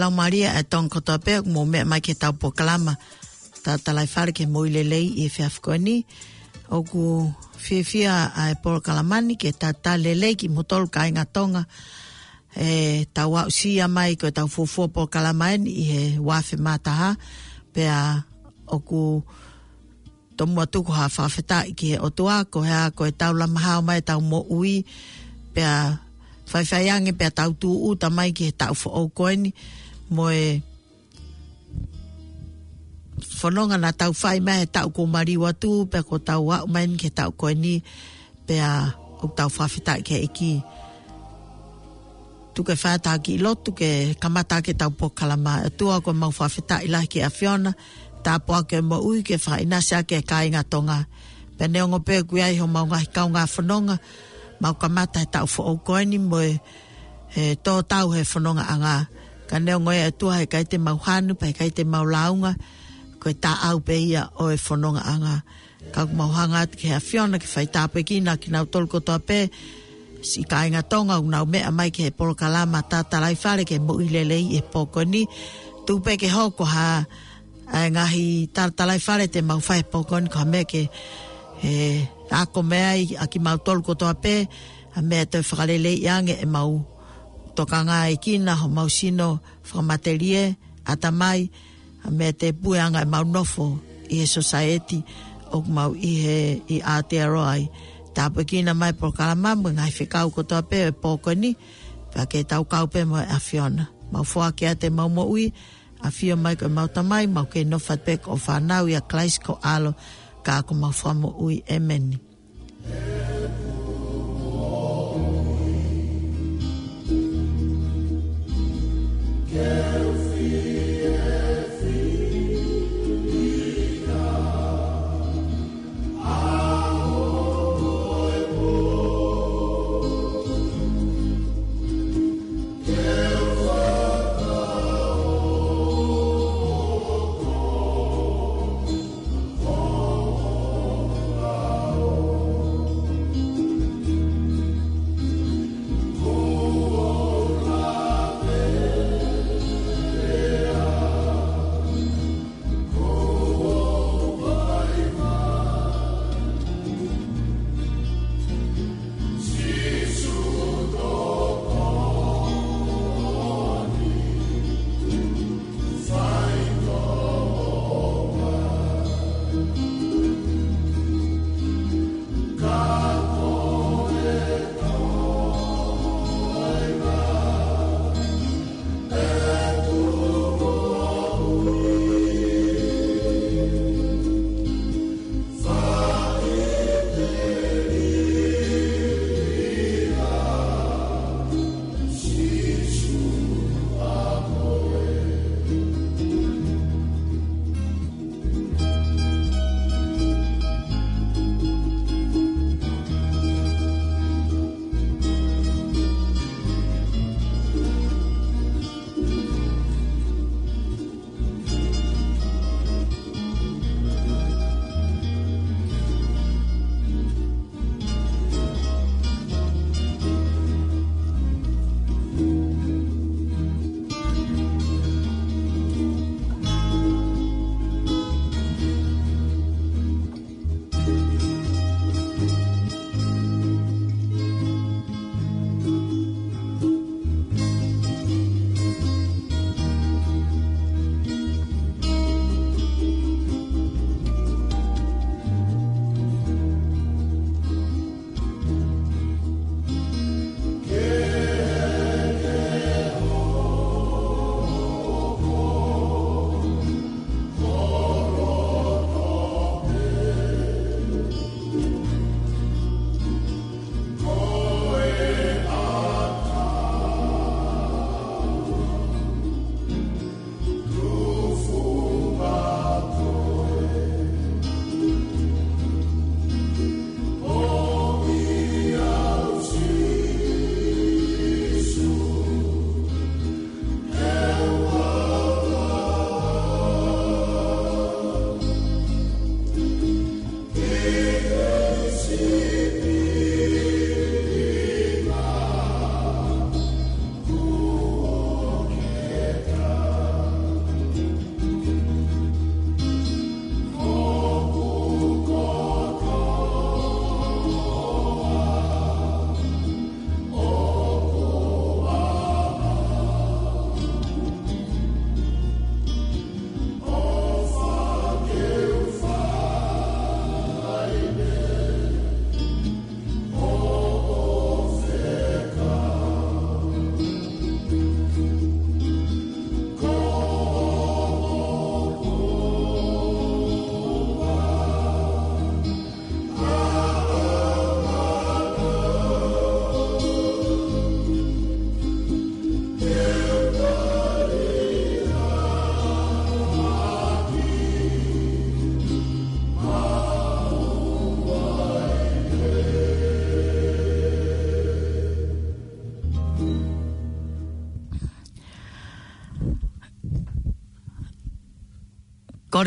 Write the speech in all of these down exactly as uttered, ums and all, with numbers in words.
Laumālie ʻa e Tonga kotoa pē ʻoku mou meʻa mai ki heʻetau polokalama Tatalaifale ki he Moʻui Lelei ʻi he efiafi ko eni. ʻOku fiefia ʻa e polokalama ni ke talitali lelei kimoutolu kāinga Tonga. ʻE tau aʻusia mai ko ʻetau fuofua polokalama eni ʻi he uafe mā taha, pea ʻoku tomuʻa tuku ha fakafetaʻi ki he ʻOtua, ko e hā, ko ʻetau lama hao mai ʻetau moʻui, pea faifai ange pea tau tūʻuta mai ki he taʻu foʻou ko eni, mo e fononga naʻa tau fai mai he taʻu kuo maliu atu, pea kuo tau aʻu mai eni ki he taʻu ko eni, pea ʻoku tau fakafetaʻi ki he ʻEiki. Tuku ke fai ʻetau kiʻi lotu ke kamata ʻaki ʻetau polokalama. ʻOtua, ʻoku mau fakafetaʻi lahi ki he ʻAfiona, tāpuaki ʻo e moʻui, ke fakaʻinasi ʻaki e kāinga Tonga. Pea neongo pē ʻoku ʻi ai homau ngaahi kaungā fononga, mau kamata he taʻu foʻou ko eni mo e, he tō tau he fonongaʻanga. Ka neongo ia ʻOtua, heʻikai te mau hanu, pea heʻikai te mau lāunga, ko e taʻau pē ia ʻo e fonongaʻanga. Ka ʻoku mau hanga atu ki he ʻAfiona ke fai tāpuekina kinautolu kotoa pē, siʻi kāinga Tonga ʻoku nau meʻa mai ki he polokalama Tatalaifale ki he Moʻui Lelei ʻi he pō ko eni. Tuku pē ke hoko ha, ʻa e ngaahi tatalaifale te mau fai he pō ko eni, ko ha meʻa ke, ʻe, ako mai ai ʻa kimautolu kotoa pē, ha meʻa te fakaleleiʻi ange ʻemau tokangaʻi kinautolu, homau sino fakamatelie, ʻatamai, ha meʻa te pueʻanga ʻemau nofo ʻi he society ʻoku mau ʻi he, ʻi Aotearoa ai. Tāpuekina mai polokalama mo e ngaahi fekau kotoa pē ʻo e pō ko eni, pea ke tau kau pē mo e ʻAfiona. Mau foaki atu ʻemau moʻui, ʻAfio mai ko homau Tamai, mau kei nofo atu pē ko hoʻo fānau ʻia Kalaisi ko ho ʻAlo, ka ko homau Fakamoʻui. ʻEmeni.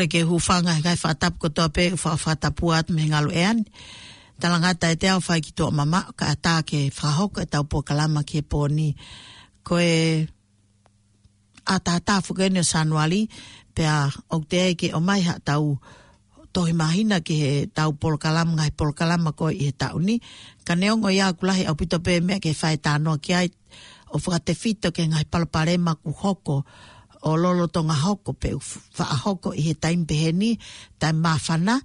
ʻOku ou hūfanga he ngaahi fakatapu kotoa pē ʻoku fakatapu atu mei he ngalu ʻea ni. Talangata ʻe te au fai ki tuʻa mama, kae ʻatā ke fakahoko ʻetau polokalama ki he pō ni. Ko e ʻatātā foki eni ʻo Sānuali, pea ʻoku teʻeki ke ʻomai haʻatau tohi māhina ki heʻetau polokalama, ngaahi polokalama ko ē ʻi he taʻu ni. Ka neongo ia ʻoku lahi ʻaupito pē meʻa ke fai talanoa ki ai, ʻo fakatefito ki he ngaahi palopalema ʻoku hoko, ʻo lolotonga hoko pe ʻoku faʻa hoko ʻi he taimi pehē ni, taimi māfana,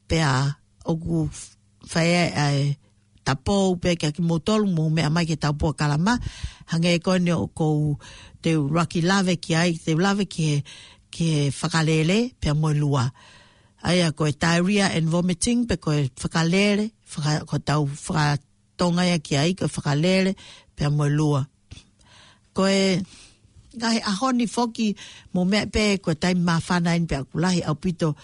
pea ʻoku fai ai ʻa e tapou pē kia kimoutolu mou meʻa mai ki heʻetau polokalama, hangē ko eni ʻoku ou te u laki lave ki ai, te u lave ki he, ki he fakalele, pea mo e lua. ʻA ia ko e diarrhea and vomiting, pe ko e fakalele, faka-, ko ʻetau faka-, Tonga ia ki ai, ko e fakalele, pea mo e lua. Ko e ngaahi ʻaho ni foki mou meʻa pē ko e taimi māfana eni pea ʻoku lahi ʻaupito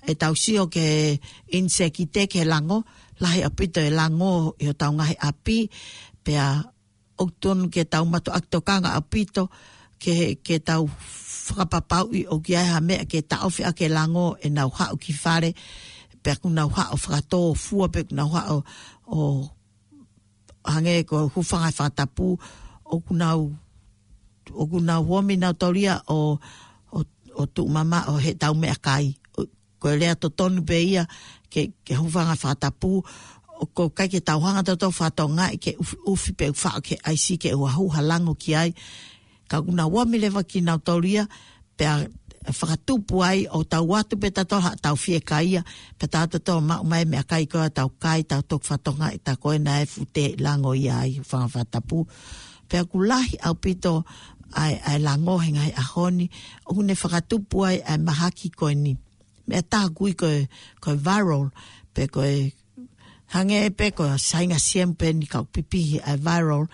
ʻetau sio ki he inisekite, ki he lango, lahi ʻaupito e lango ʻi hotau ngaahi ʻapi, pea ʻoku tonu ke tau mātuʻaki tokanga ʻaupito ke, ke tau fakapapauʻi ʻoku ʻi ai ha meʻa ke taʻofi ʻaki e lango ʻenau haʻu ki fale, pea ʻoku nau haʻu fakatōfua, pea ʻoku nau haʻu ʻo hangē ko e hūfanga he fakatapu, ʻoku nau, ʻoku nau ō mai nautolu ia ʻo, ʻo, ʻo tuʻu mamaʻo heʻetau meʻakai. ʻO, ko e lea totonu pē ia ke, ke hūfanga he fakatapu, ʻoku ʻikai ke tau hanga tautolu ʻo fakatokangaʻi ke ʻufi, ʻufi pe ʻufi faʻo ki he ʻaisi ke ʻoua ʻe hū ha lango ki ai. Ka ʻoku nau ō mai leva kinautolu ia, pea fakatupu ai ʻo tau ʻoatu pē tautolu haʻatau fiekaia, pea tau tautolu maʻu mai meʻakai ko ē ʻo tau kai, tau toki fakatokangaʻi tā ko ē naʻe fuʻu teʻe lango ia ai, hūfanga he fakatapu. Pea ʻoku lahi ʻaupito ʻa e, ʻa e lango he ngaahi ʻaho ni, ʻoku ne fakatupu ai ʻa e mahaki ko eni. Meʻa tā ʻoku ui ko e, ko e viral, pe ko e hangē pē ko e sainga siemu pē eni ka ʻoku pipihi ʻa e viral,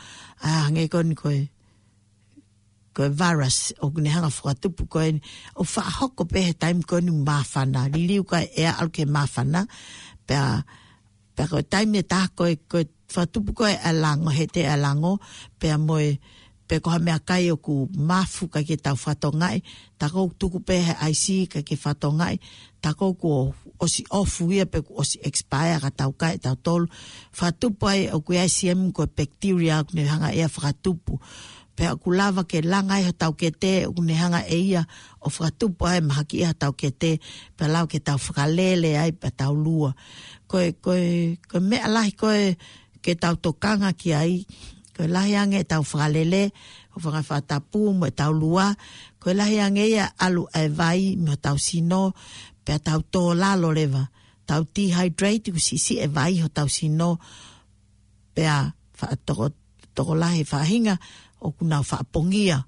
ʻa hangē ko eni ko e ko e virus, ʻoku ne hanga fakatupu ko eni, ʻo faʻa hoko pē he taimi ko eni māfana, liliu ko ē ʻa e ʻalu ki he māfana, pea, pea ko e taimi ʻe taha ko e, ko e fakatupu ko ē ʻa e lango, he teʻe ʻa e lango, pea mo e, pe ko ha meʻakai ʻoku mafu ʻikai ke tau fakatokangaʻi, tā ko ē ʻoku tuku pē he ʻaisi ʻikai ke fakatokangaʻi, tā ko ē kuo ʻosi ʻofu ia pe kuo ʻosi expire ka tau kai tautolu, fakatupu ai ʻoku ʻi ai e siemu ko e bacteria ʻoku ne hanga ia fakatupu. Pea ʻoku lava ke langa ai hotau kete, ʻoku ne hanga ʻe ia ʻo fakatupu ai mahaki ʻi hotau kete, pea lava ke tau fakalele ai, pea tau lua. Ko e, ko e, ko e meʻa lahi ko ē ke tau tokanga ki ai, ko e lahi ange ʻetau fakalele, hūfanga he fakatapu mo ʻetau lua, ko e lahi ange ia ʻalu ʻa e vai mei hotau sino, pea tau tō lalo leva, tau dehydrate, ʻoku siʻisiʻi e vai hotau sino, pea faʻa toko, tokolahi e faʻahinga ʻoku nau faʻa pongia.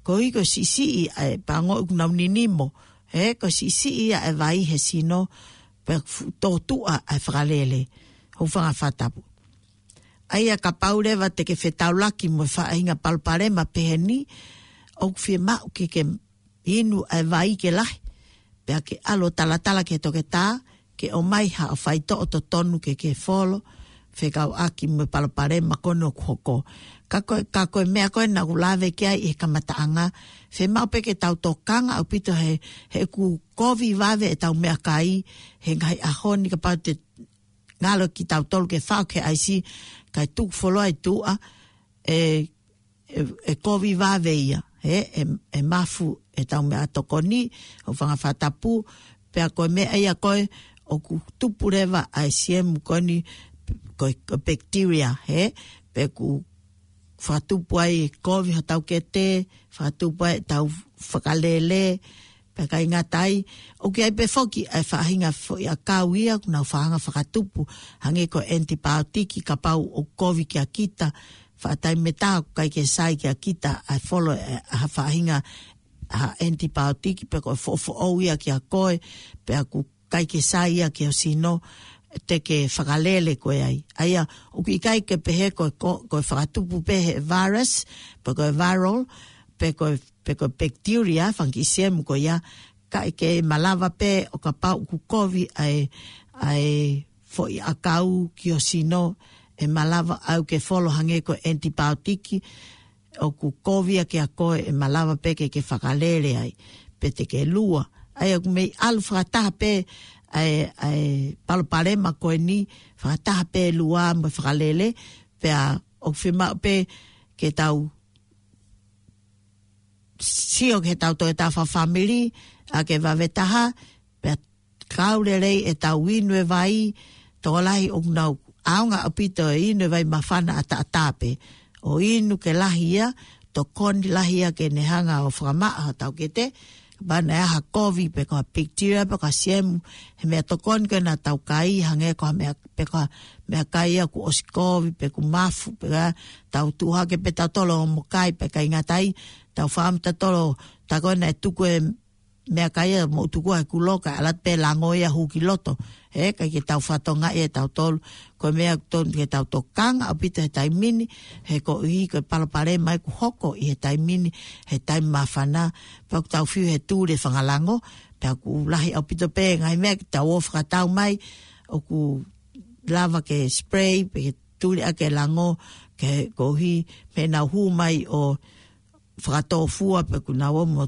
Koeʻuhi ko e siʻisiʻi ʻa e pango ʻoku nau ninimo, he ko e siʻisiʻi ia e vai he sino, pea fuʻu tōtuʻa ʻa e fakalele, hūfanga he fakatapu. ʻA ia kapau leva te ke fetaulaki mo e faʻahinga palopalema pehē ni, ʻoku fiemaʻu ke ke inu ʻa e vai ke lahi, pea ke ʻalu ʻo talatala ki he toketā, ke ʻomai haʻo faitoʻo totonu ke ke folo, fekauʻaki mo e palopalema ko eni ʻoku hoko. Ka ko e, ka ko e meʻa ko ē naʻa ku lave ki ai ʻi he kamataʻanga, fiemaʻu pē ke tau tokanga ʻaupito he, he ʻoku kovi vave ʻetau meʻakai, he ngaahi ʻaho ni kapau te ngalo kitautolu ke faʻo ki he ʻaisi, kae tuku fuoloa ʻi tuʻa, ʻe, ʻe, ʻe kovi vave ia, he, ʻe, ʻe mafu ʻetau meʻatokoni, hūfanga he fakatapu, pea ko e meʻa ia ko ē, ʻoku tupu leva ʻa e siemu ko eni, ko e, ko e bacteria, he, pea ʻoku fakatupu ai e kovi hotau kete, fakatupu ai ʻetau fakalele, pea ʻikai ngata ai, ʻoku ʻi ai pē foki ʻa e faʻahinga foʻiʻakau ia, ʻoku nau faʻa hanga fakatupu, hangē ko e antibiotic, kapau ʻoku kovi kia kita, faʻa taimi ʻe taha ʻoku ʻikai ke sai kia kita, ʻa e folo ʻe ha faʻahinga ha antibiotic, pe ko e foʻofoʻou ia kia koe, pea ʻoku ʻikai ke sai ia ki ho sino, te ke fakalele koe ai. ʻA ia, ʻoku ʻikai ke pehē ko e ko-, ko e fakatupu pē he virus, pe ko e viral, pe ko e, pe ko e bacteria, fanga kiʻi siemu ko ia, kae ke malava pē ʻo kapau ʻoku kovi ʻa e, ʻa e foʻiʻakau ki ho sino, ʻe malava ʻalu ke folo hangē ko e antibiotic, ʻoku kovi ia kia koe ʻe malava pē ke ke fakalele ai, pe te ke lua. ʻA ia ʻoku mei ʻalu fakataha pē ʻa e, ʻa e palopalema ko eni, fakataha pē lua mo e fakalele, pea ʻoku fiemaʻu pē ke tau sio ki heʻetau toe tafa family, ʻa ke vave taha, pea kau lelei ʻetau inu e vai, tokolahi ʻoku nau ʻaonga ʻaupito e inu e vai māfana ʻataʻatā pē. ʻO inu ke lahi ia, tokoni lahi ia ke ne hanga ʻo fakamaʻa hotau kete, kapau naʻe ʻi ai ha kovi pe ko ha bacteria pe ko ha siemu, he meʻatokoni ko ē naʻa tau kai, hangē ko ha meʻa, pe ko ha meʻakai ia kuo ʻosi kovi, pe kuo mafu, pe ko e tau tuʻu hake pē tautolu ʻo mo kai, pea ʻikai ngata ai, tau fakaʻamu tautolu, tā ko ē naʻe tuku e meʻakai ia mo tuku ai kulo ka ʻalu atu pē lango ia hū ki loto. He ʻikai ke tau fatongia ʻe tautolu. Ko e meʻa ʻoku totonu ke tau tokanga ʻaupito he taimi ni, he koeʻuhi ko e palopalema ia ʻoku hoko ʻi he taimi ni, he taimi māfana, pea ʻoku tau fiu he tuli e fanga lango, pea ʻoku lahi ʻaupito pē ngaahi meʻa ke tau ō fakatau mai, ʻoku lava ke spray, pe ke tuli ʻaki e lango, ke koeʻuhi, mei he nau hū mai ʻo fakatōfua pe kuo nau ō mo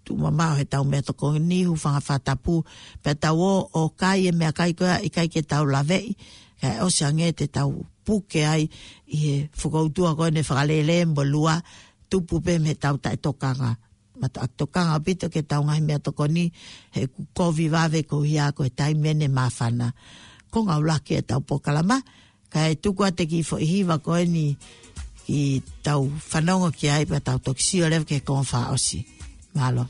tuʻu mamaʻo heʻetau meʻatokoni, hūfanga he fakatapu, pea tau ō ʻo kai e meʻakai ko ia ʻikai ke tau laveʻi, kae ʻosi ange te tau puke ai ʻi he fokoutua ko eni e fakalele mo e lua, tupu pē mei heʻetau taʻetokanga. Mata ʻoku tokanga ʻaupito ki heʻetau ngaahi meʻatokoni, he ʻoku kovi vave koeʻuhi ko e taimi eni māfana. Ko e ngāue lahi ʻetau polokalama, kae tuku atu e kiʻi foʻi hiva ko eni ke tau fanongo ki ai pea tau toki sio leva ki he konga fakaʻosi. Mālō.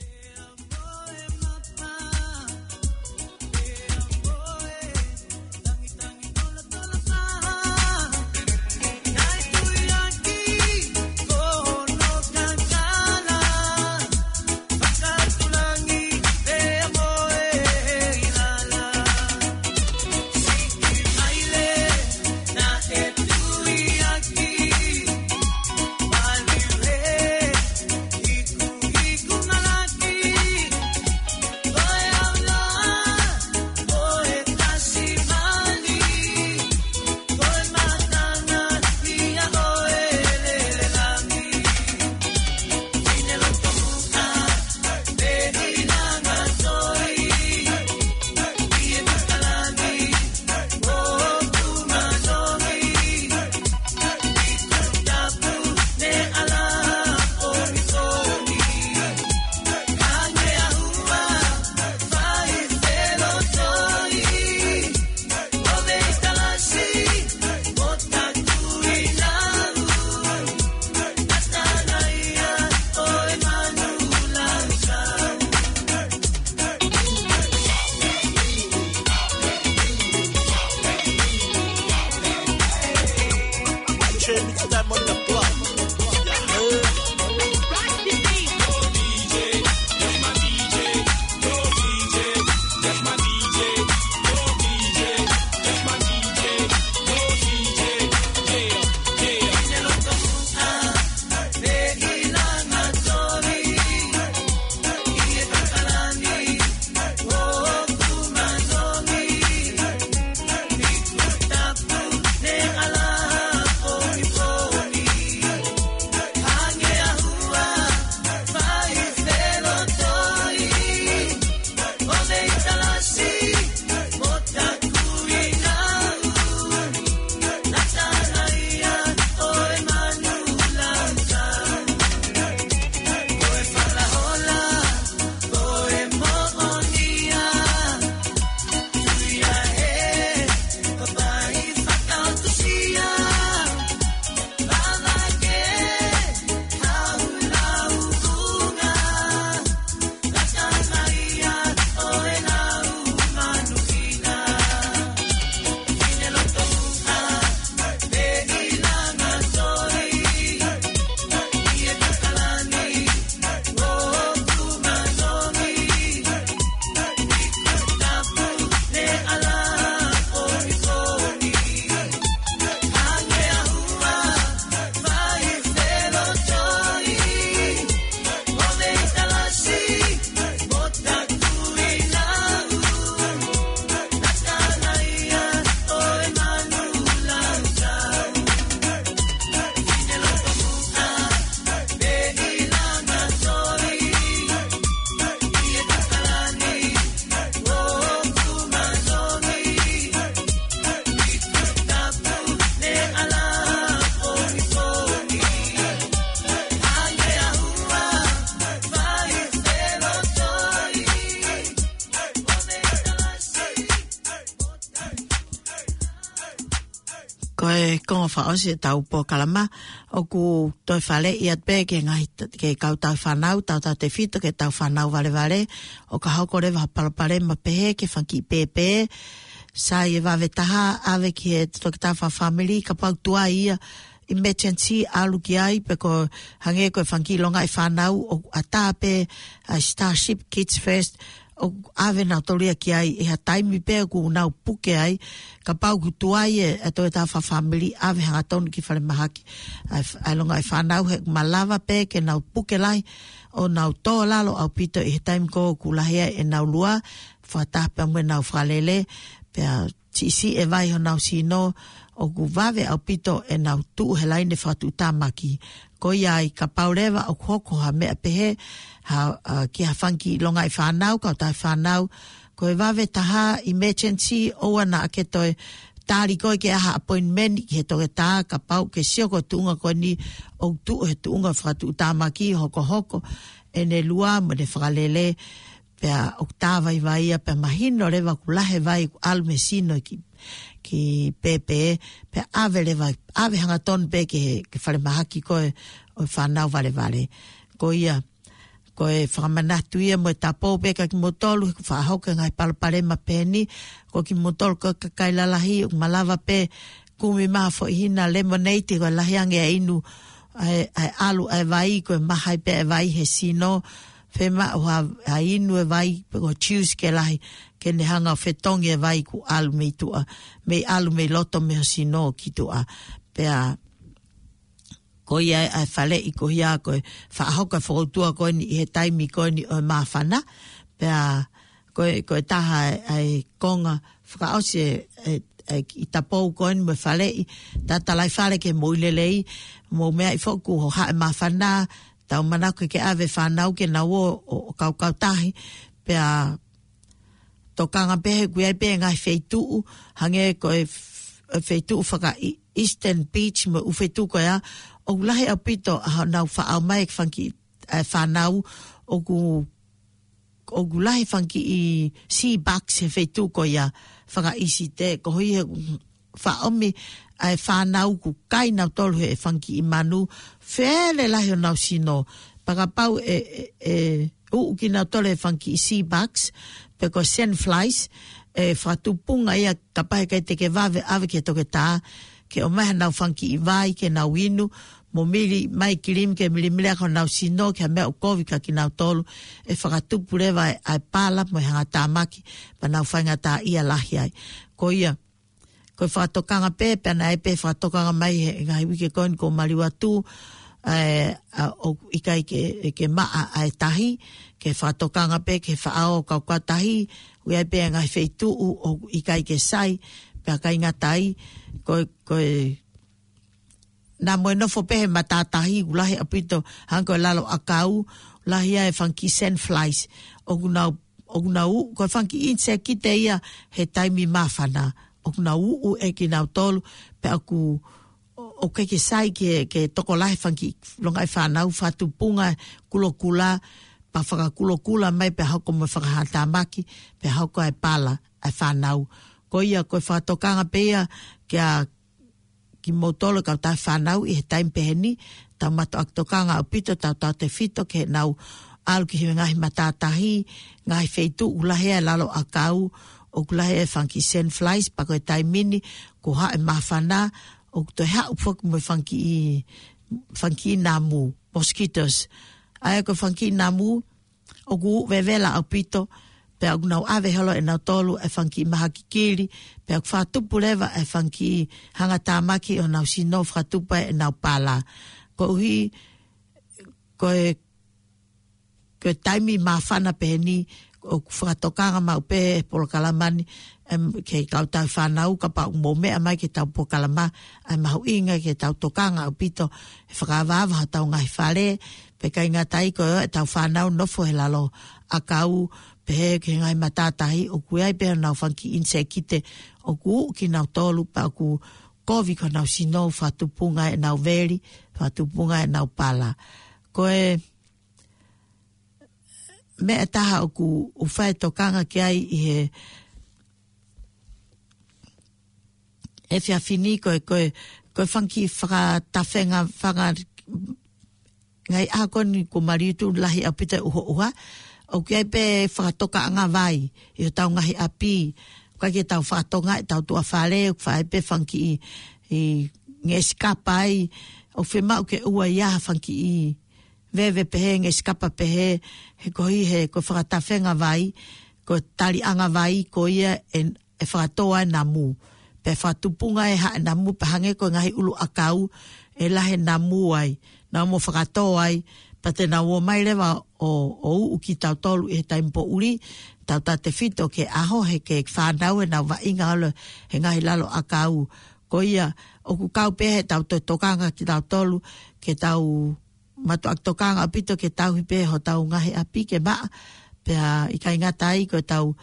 Ko e konga fakaʻosi ʻetau polokalama, ʻoku toe faleʻi atu pē ki he ngaahi t-, ki he kautau fānau, tautautefito ki heʻetau fānau valevale, ʻo ka hoko leva ha palopalema pehē ki he fanga kiʻi pēpē, sai e vave taha, ʻave ki he toketā fakafāmili, kapau ʻoku tuai ia emergency ʻalu ki ai, pe ko e hangē ko e fanga kiʻi longaʻi fānau, ʻoku ʻatā pē ʻa e Starship Kids First, ʻoku ʻave nautolu ia ki ai ʻi ha taimi pē ʻoku nau puke ai, kapau ʻoku tuai e, e toketā fakafāmili ʻave hangatonu ki falemahaki ʻa e f-, ʻa e longaʻi fānau he ʻoku malava pē ke nau puke lahi ʻo nau tō lalo ʻaupito ʻi he taimi ko ē ʻoku lahi ai ʻenau lua, fakataha pea mo ʻenau fakalele, pea siʻisiʻi e vai honau sino, ʻoku vave ʻaupito ʻenau tuʻu he laine fakatuʻutāmaki. Ko ia ai kapau leva ʻoku hoko ha meʻa pehē, ha, ʻa, ki ha fanga kiʻi longaʻi fānau, kautau fānau, ko e vave taha emergency ʻoua naʻa ke toe tali koe ke ʻai ha appointment ki he toketā, kapau ʻoku ke sio ko e tuʻunga ko eni ʻoku tuʻu he tuʻunga fakatuʻutāmaki, hokohoko ʻene lua mo ʻene fakalele, pea ʻoku tā vaivai ia, pea mahino leva ʻoku lahi e vai ʻoku ʻalu mei he sino ki, ki pēpē, pea ʻave leva, ʻave hangatonu pē ki he, ki falemahaki ko ē ʻo e fānau valevale. Ko ia, ko e fakamanatu ia mo e tapu pē kia kimoutolu, he ʻoku faʻa hoko e ngaahi palopalema pehē ni, ko kimoutolu ko e kakai lalahi, ʻoku malava pē kumi mai ha foʻi hina lemonade, ko e lahi ange e inu ʻa e, ʻa e ʻalu ʻa e vai, ko e maha ai pē e vai he sino, fiemaʻu ha, ha inu e vai, pe ko e juice ke lahi, ke ne hanga ʻo fetongi e vai ʻoku ʻalu mei tuʻa, mei ʻalu mei loto mei ho sino ki tuʻa. Pea, ko ia ʻa e faleʻi ko ia ko e faʻa hoko e fokoutua ko eni ʻi he taimi ko eni ʻo e māfana. Pea, ko e, ko e taha ʻa e, ʻa e konga fakaʻosi e, e, e kiʻi tapu ko eni mo e faleʻi, tatalaifale ke mou ʻi lelei, mou meaʻi foki ʻoku hohaʻa e māfana, tau manako ke ʻave fānau ke nau ō, ʻo, ʻo kaukautahi, pea tokanga pē he ʻoku ʻi ai pē ngaahi feituʻu, hangē ko e f-, e feituʻu faka-, ʻi Eastern Beach mo e ʻū feituʻu ko ia, ʻoku lahi ʻaupito ʻa honau faʻao mai e fanga kiʻi, e fānau, ʻoku, ʻoku lahi fanga kiʻi sea bugs he feituʻu ko ia fakaʻisite, koeʻuhi he faʻa ʻomi ʻa e fānau ʻoku kai nautolu he fanga kiʻi manu, fele lahi honau sino, pea kapau ʻe, ʻe, ʻe uʻu kinautolu he fanga kiʻi sea bugs, pe ko e sand flies, ʻe fakatupunga ia kapau he ʻikai te ke vave ʻave ki he toketā, ke ʻomai hanau fanga kiʻi vai ke nau inu, mo mili mai kilimi ke milimili ʻaki honau sino, ki ha meʻa ʻoku kovi kia kinautolu, ʻe fakatupu leva ʻa e, ʻa e pala mo e hangatāmaki, pea nau faingataʻaʻia lahi ai. Ko ia, ko e fakatokanga pē, pea naʻe pē fakatokanga mai he ngaahi uike ko eni kuo maliu atu, ʻa e, ʻa, ʻoku ʻikai ke, ke maʻa ʻa e tahi, ke fakatokanga pē ke faʻao kaukautahi, ʻoku ʻi ai pē ngaahi feituʻu ʻoku ʻikai ke sai, pea ʻikai ngata ai, ko e, ko e, naʻa mo e nofo pē he matātahi ʻoku lahi ʻaupito, hangē ko e lalo ʻakau, lahi ai e fanga kiʻi sand flies, ʻoku nau, ʻoku nau, ko e fanga kiʻi insekite ia he taimi māfana, ʻoku nau uʻu ʻe kinautolu, pea ʻoku, ʻoku ʻikai ke sai ke, ke tokolahi e fanga kiʻi longaʻi fānau, fakatupunga kulokula, pea fakakulokula mai pea hoko mo e fakahangatāmaki, pea hoko ʻa e pala ʻa e fānau. Ko ia, ko e fakatokanga pē ia kia kimoutolu kautau fānau ʻi he taimi pehē ni, tau mātuʻaki tokanga ʻaupito, tautautefito ke nau ʻalu ki he ngaahi matātahi, ngaahi feituʻu ʻoku lahi ai e lalo ʻakau, ʻoku lahi ai e fanga kiʻi sand flies, pea ko e taimi ni, kuo hohaʻa e māfana, ʻoku toe haʻu foki mo e fanga kiʻi, fanga kiʻi namu, mosquitoes. ʻA ia ko e fanga kiʻi namu, ʻoku vevela ʻaupito, pea ʻoku nau ʻave holo ʻe nautolu e fanga kiʻi maha kikili, pea ʻoku fakatupu leva e fanga kiʻi hangatāmaki ʻo honau sino, fakatupu ai ʻenau pala. Koeʻuhi, ko e, ko e taimi māfana pehē ni, ʻoku fakatokanga maʻu pē he polokalama ni, em, ki he kautau fānau, kapau ʻoku mou meʻa mai ki heʻetau polokalama, ʻa e mahuʻinga ke tau tokanga ʻaupito, he fakaavaava hotau ngaahi fale, pea ʻikai ngata ai ko ʻetau fānau nofo he lalo ʻakau, pehē ki he ngaahi matātahi, ʻoku ʻi ai pē honau fanga kiʻi insekite, ʻoku uʻu kinautolu, pea ʻoku kovi ki honau sino, fakatupunga ʻenau veli, fakatupunga ʻenau pala. Ko e meʻa ʻe taha ʻoku ou fai e tokanga ki ai ʻi he, efiafi ni ko e, ko e, ko e fanga kiʻi fakatafenga, fanga ngaahi ʻaho ko eni kuo maliu atu lahi ʻaupito e ʻuhoʻuha. ʻOku ʻi ai pē fakatokaʻanga vai ʻi hotau ngaahi ʻapi. ʻOku ʻikai ke tau fakatonga ʻetau tuʻa fale, ʻoku fai pē fanga kiʻi, ʻi ngeʻesi kapa ai. ʻOku fiemaʻu ke ʻoua ʻe ʻi ai ha fanga kiʻi veve pehē, ngeʻesi kapa pehē, he ko e hā he ko e fakatafenga vai, ko e taliʻanga vai, ko ia ʻe, ʻe fakatō ai e namu. Pea fakatupunga ʻe haʻa e namu, pea hangē ko e ngaahi ʻulu ʻakau, ʻe lahi e namu ai, naʻa mo fakatō ai, pea te nau ō mai leva ʻo, ʻo uʻu kitautolu ʻi he taimi poʻuli, tautautefito ki he ʻaho, he ko e fānau ʻenau vaʻinga ʻalu he ngaahi lalo ʻakau. Ko ia, ʻoku kau pē he tau toe tokanga kitautolu, ke tau mātuʻaki tokanga ʻaupito ke tauhi pē hotau ngaahi ʻapi ke maʻa, pea ʻikai ngata ai ko ʻetau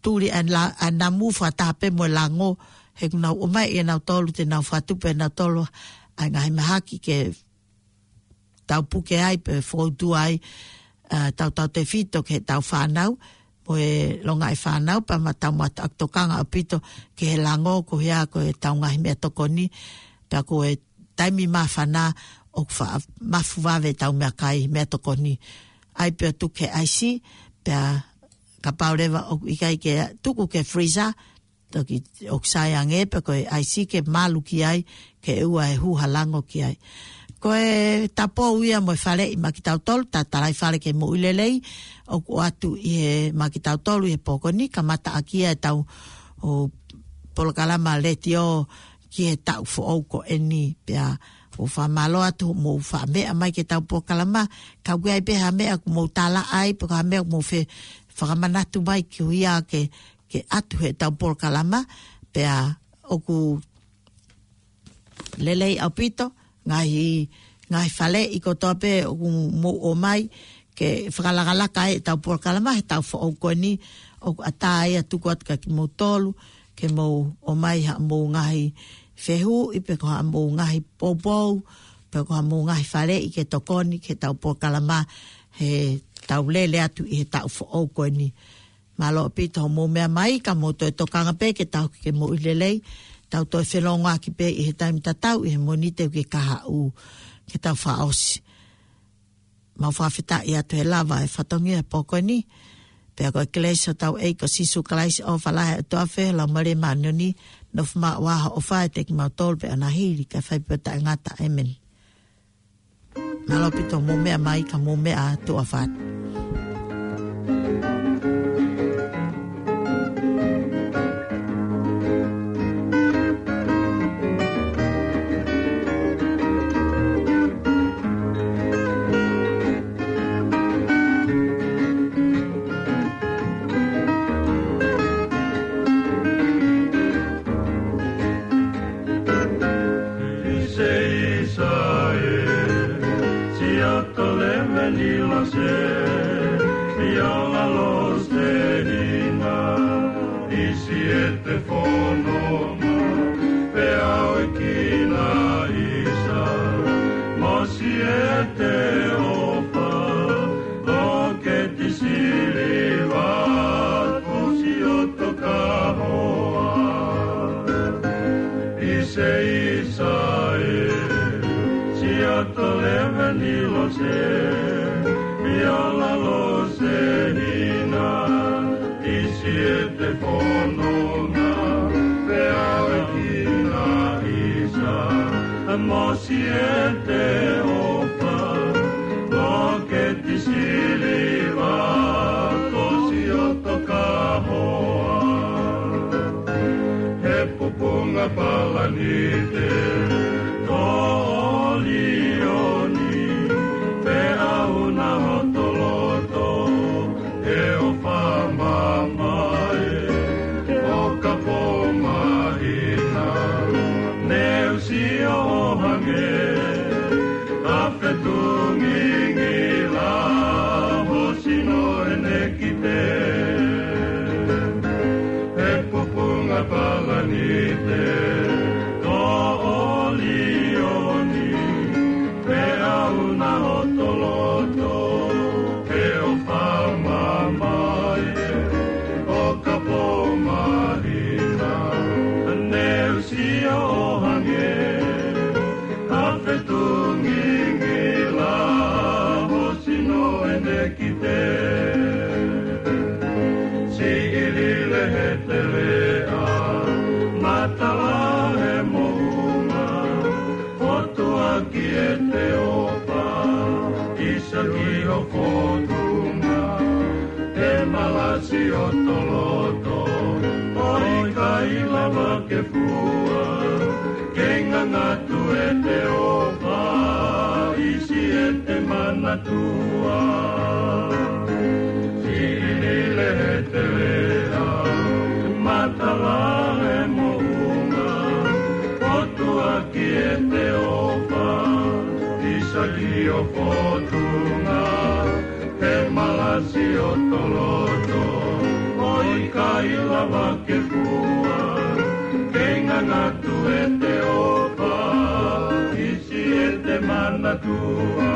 tuli ʻa e la-, ʻa e namu fakataha pē mo e lango, he kuo nau ō mai ʻe nautolu te nau fakatupu ʻe nautolu ʻa e ngaahi mahaki ke tau puke ai pe foutua ai, ʻa, tautautefito ki heʻetau fānau, mo e longaʻi fānau, pea ma tau mātuʻaki tokanga ʻaupito ki he lango ko ia ko ʻetau ngaahi meʻatokoni, pea ko e taimi māfana ʻoku faʻa mafu vave ʻetau meʻakai, meʻatokoni. ʻAi pē ʻo tuku ki he ʻaisi, pea kapau leva ʻoku ʻikai ke tuku ki he freezer, toki ʻoku sai ange pē ko e ʻaisi ke malu ki ai, ke ʻoua ʻe hū ha lango ki ai. Ko e tapou ia mo e faleʻi maʻa kitautolu, ta talai fale ke moʻui lelei, ʻoku ʻoatu ʻi he maʻa kitautolu ʻi he pō ko eni, kamataʻaki ia ʻetau, ʻo, polokalama letiō ki he taʻu foʻou ko eni, pea ʻoku fakamālō atu hoʻomou faʻa meʻa mai ki heʻetau polokalama, ka ʻoku ʻi ai pē ha meʻa ʻoku mou tala ai, pe ko ha meʻa ʻoku mou fe-, fakamanatu mai ki he ʻuhinga ke, ke ʻatu heʻetau polokalama, pea ʻoku lelei ʻaupito, ngaahi, ngaahi faleʻi kotoa pē ʻoku mou ō mai, ke fakalakalaka ai ʻetau polokalama he taʻu foʻou ko eni, ʻoku ʻatā ia ʻo tuku atu kia kimoutolu, ke mou ō mai haʻamou ngaahi fehuʻi, pe ko haʻamou ngaahi poupou, pe ko haʻamou ngaahi faleʻi ke tokoni ki heʻetau polokalama, he tau lele atu ʻi he taʻu foʻou ko eni. Mālō ʻaupito hoʻomou meʻa mai, ka mou toe tokanga pē ke tau ke moʻui lelei, tau toe felōngoaki pē ʻi he taimi tatau ʻi he Mōnite ki he kahaʻu, ke tau fakaʻosi. Mau fakafetaʻi atu he lava e fatongia he pō ko eni, pea ko e kelesi ʻa hotau ʻEiki ko Sīsū Kalaisi, ʻofa lahi ʻa e ʻOtua, feohi ʻa e Laumālie Māʻoniʻoni, nofo maʻu ʻa e ʻofa ʻiate kimautolu pea ʻo hili kae fai pē ʻo taʻengata. ʻĒmeni. Mālō ʻaupito hoʻomou meʻa mai, ka mou meʻa ā, tuʻa ʻofa atu. ʻI Seisa ē, Siaoto Lēmeni Lose, Fiola Lose Hina, ʻi Siete Fononga, pea ʻoe kina ʻisa, mo Siete ʻOfa, Loketi Siliva, Kosi ʻOto Kahoa. ʻI Seisa ē, Siaoto Lēmeni Lose, Fiola Lose Hina, ʻi Siete Fononga, pea ʻoe kina ʻisa, mo Siete ʻOfa, Loketi Siliva, Kosi ʻOto Kahoa. He Pupunga Palanite, ko ʻOlioni, pea ʻuna hoto loto, he ʻofa mamae, ʻo ka pō mahina, ne u sio ʻo hangē, ʻa fetu ngingila, ho sino ʻene kite. He Pupunga Palanite, ko ʻOlioni, pea ʻuna hoto loto, he ʻofa mamae, ʻo ka pō mahina, ne Ki ʻEteopa, ʻisa ki ho fotunga, he malasi ʻo ho loto, ʻo ʻikai lava ke fua, ke ngangatu ʻEteopa, ʻi siʻete manatua. Siʻi Nile he teleʻa, matala he moʻunga, ʻotua ki ʻEteopa, ʻisa ki ho fotunga, he malasi ʻo ho loto, ʻo ʻikai lava ke fua, ke ngangatu ʻEteopa, ʻi siʻete manatua.